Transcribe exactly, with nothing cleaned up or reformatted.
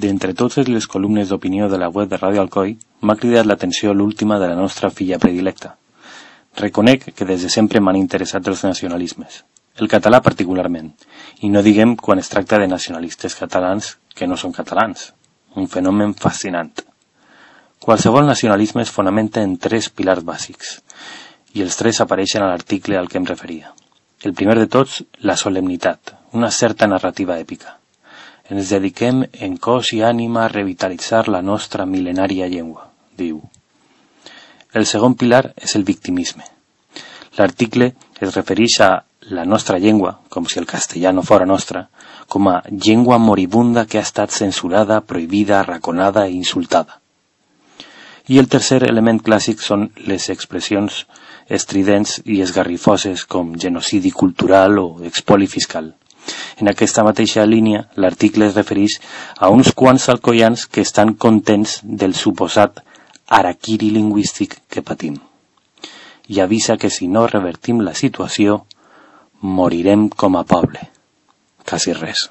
D'entre totes les columnes d'opinió de la web de Ràdio Alcoi, m'ha cridat l'atenció l'última de la nostra filla predilecta. Reconec que des de sempre m'han interessat els nacionalismes, el català particularment, i no diguem quan es tracta de nacionalistes catalans que no són catalans, un fenomen fascinant. Qualsevol nacionalisme es fonamenta en tres pilars bàsics, i els tres apareixen a l'article al que em referia. El primer de tots, la solemnitat, una certa narrativa èpica. Ens dediquem en cos i ànima a revitalitzar la nostra mil·lenària llengua, diu. El segon pilar és el victimisme. L'article es refereix a la nostra llengua, com si el castellà no fora nostra, com a llengua moribunda que ha estat censurada, prohibida, arraconada i insultada. I el tercer element clàssic són les expressions estridents i esgarrifoses com genocidi cultural o expoli fiscal. En aquesta mateixa línia, l'article es refereix a uns quants alcoians que estan contents del suposat harakiri lingüístic que patim. I avisa que si no revertim la situació, morirem com a poble. Quasi res.